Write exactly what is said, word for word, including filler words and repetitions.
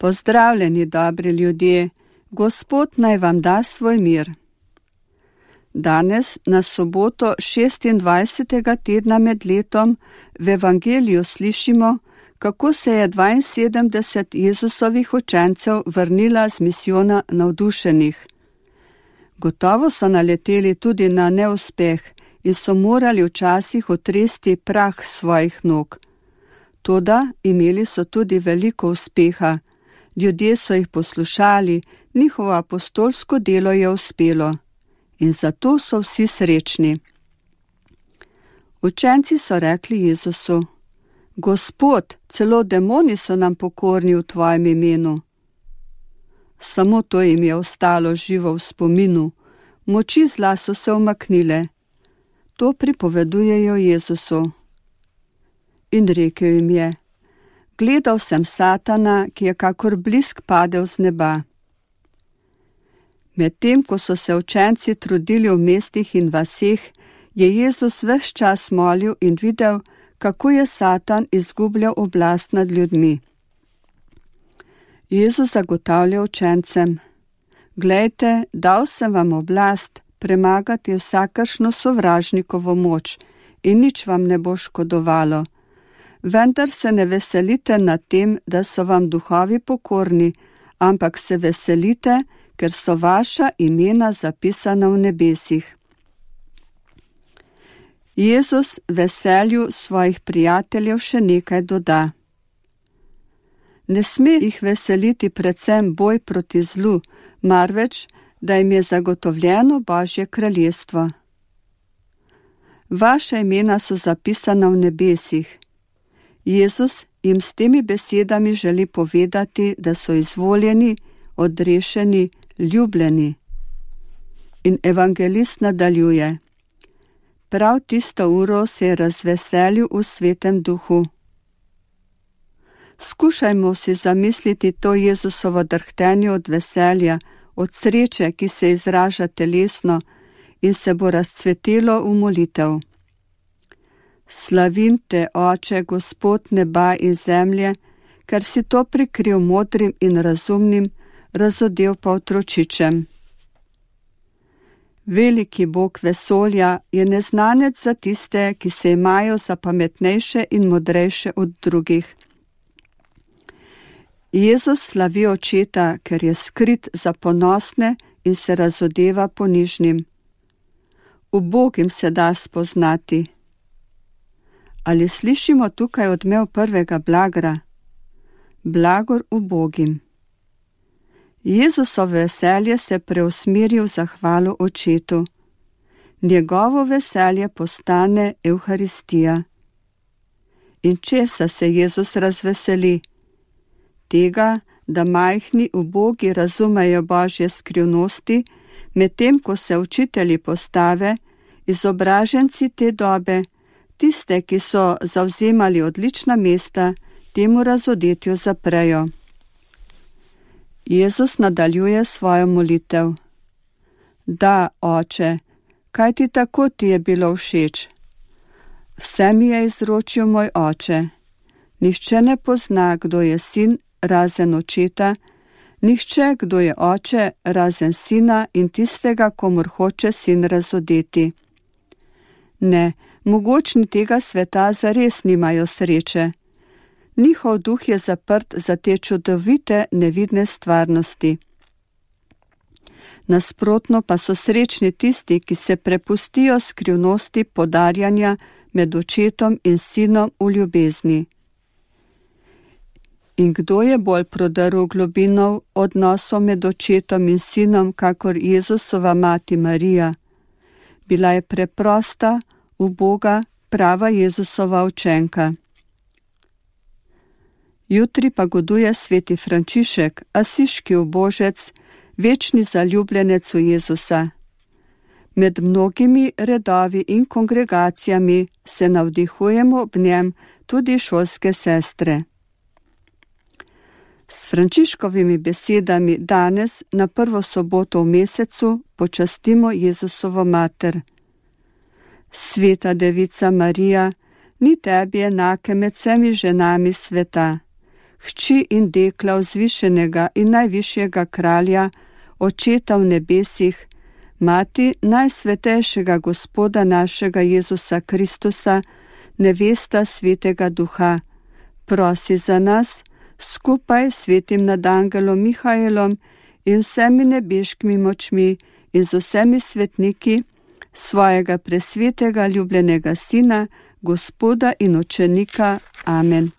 Pozdravljeni, dobri ljudje, Gospod naj vam da svoj mir. Danes, na soboto šestindvajsetega tedna med letom, v evangeliju slišimo, kako se je dvainsedemdeset Jezusovih učencev vrnila z misijona navdušenih. Gotovo so naleteli tudi na neuspeh in so morali včasih otresti prah svojih nog. Toda imeli so tudi veliko uspeha. Ljudje so jih poslušali, njihovo apostolsko delo je uspelo. In zato so vsi srečni. Učenci so rekli Jezusu: Gospod, celo demoni so nam pokorni v tvojem imenu. Samo to jim je ostalo živo v spominu. Moči zla so se umaknile. To pripovedujejo Jezusu. In rekel jim je: Gledal sem Satana, ki je kakor blisk padel z neba. Medtem, ko so se učenci trudili v mestih in vaseh, je Jezus ves čas molil in videl, kako je Satan izgubljal oblast nad ljudmi. Jezus zagotavlja učencem: Glejte, dal sem vam oblast premagati vsakršno sovražnikovo moč in nič vam ne bo škodovalo. Vendar se ne veselite nad tem, da so vam duhovi pokorni, ampak se veselite, ker so vaša imena zapisana v nebesih. Jezus veselju svojih prijateljev še nekaj doda. Ne sme jih veseliti predvsem boj proti zlu, marveč, da jim je zagotovljeno Božje kraljestvo. Vaša imena so zapisana v nebesih. Jezus jim s temi besedami želi povedati, da so izvoljeni, odrešeni, ljubljeni. In evangelist nadaljuje: Prav tisto uro se je razveselil v svetem duhu. Skušajmo si zamisliti to Jezusovo drhtenje od veselja, od sreče, ki se izraža telesno in se bo razcvetelo v molitev. Slavim te, Oče, Gospod neba in zemlje, ker si to prikril modrim in razumnim, razodel pa otročičem. Veliki Bog vesolja je neznanec za tiste, ki se imajo za pametnejše in modrejše od drugih. Jezus slavi očeta, ker je skrit za ponosne in se razodeva ponižnim. Ubogim se da spoznati. Ali slišimo tukaj odmev prvega blagra? Blagor ubogim. Jezusovo veselje se preusmeri v zahvalo očetu. Njegovo veselje postane Evharistija. In česa se Jezus razveseli? Tega, da majhni ubogi razumejo Božje skrivnosti, medtem ko se učitelji postave, izobraženci te dobe, tiste, ki so zavzemali odlična mesta, temu razodetju zaprejo. Jezus nadaljuje svojo molitev. Da, Oče, kaj ti tako ti je bilo všeč? Vse mi je izročil moj Oče. Nihče ne pozna, kdo je sin, razen očeta, nihče, kdo je oče, razen sina in tistega, komur hoče sin razodeti. Ne, mogočni tega sveta zares nimajo sreče. Njihov duh je zaprt za te čudovite, nevidne stvarnosti. Nasprotno pa so srečni tisti, ki se prepustijo skrivnosti podarjanja med očetom in sinom v ljubezni. In kdo je bolj prodrl globino odnosov med očetom in sinom, kakor Jezusova mati Marija? Bila je preprosta, uboga, prava Jezusova učenka. Jutri pa goduje sveti Frančišek, asiški ubožec, večni zaljubljenec v Jezusa. Med mnogimi redovi in kongregacijami se navdihujemo ob njem tudi šolske sestre. S Frančiškovimi besedami danes na prvo soboto v mesecu počastimo Jezusovo mater. Sveta devica Marija, ni tebi enake med vsemi ženami sveta. hči in dekla vzvišenega in najvišjega kralja, Očeta v nebesih, Mati najsvetejšega Gospoda našega Jezusa Kristusa, nevesta Svetega Duha, prosi za nas, skupaj s svetim nadangelom Mihaelom in vsemi nebeškimi močmi in z vsemi svetniki, svojega presvetega ljubljenega Sina, Gospoda in Učenika. Amen.